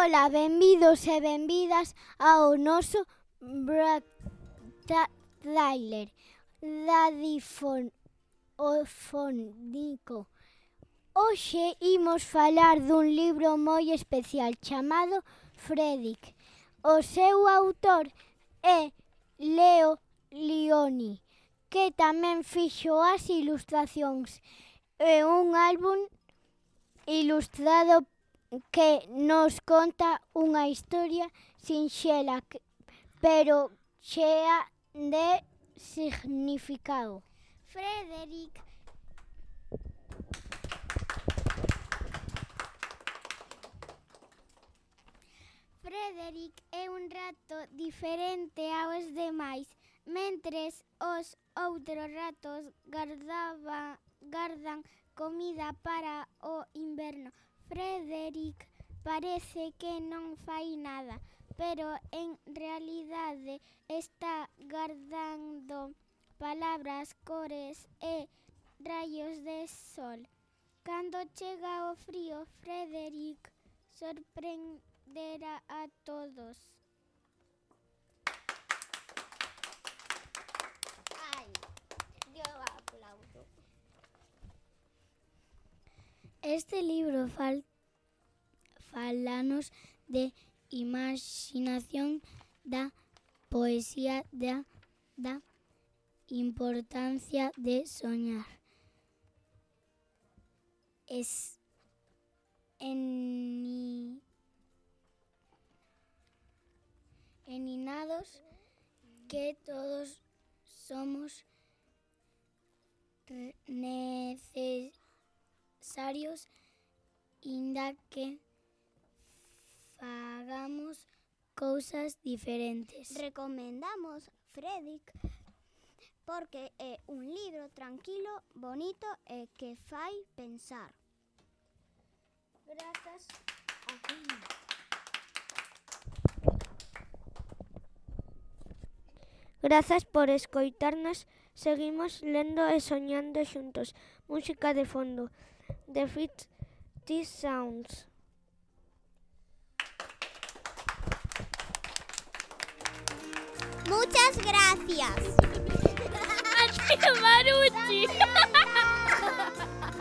Ola, benvidos e benvidas ao noso trailer radiofónico. Hoxe imos falar dun libro moi especial chamado Frederick. O seu autor é Leo Lionni, que tamén fixo as ilustracións. É un álbum ilustrado que nos conta unha historia sinxela, pero chea de significado. Frederick é un rato diferente aos demais. Mentres os outros ratos gardan comida para o inverno, Frederick parece que non fai nada, pero en realidade está gardando palabras, cores e raios de sol. Cando chega o frío, Frederick sorprenderá a todos. Este libro falanos de imaxinación, da poesía, da importancia de soñar. Eninados que todos somos necesarios, inda que fagamos cousas diferentes. Recomendamos Frederick porque é un libro tranquilo, bonito e que fai pensar. Grazas a ti. Grazas por escoitarnos. Seguimos lendo e soñando xuntos. Música de fondo. The Fit These Sounds. Muchas gracias. ¡Marucci!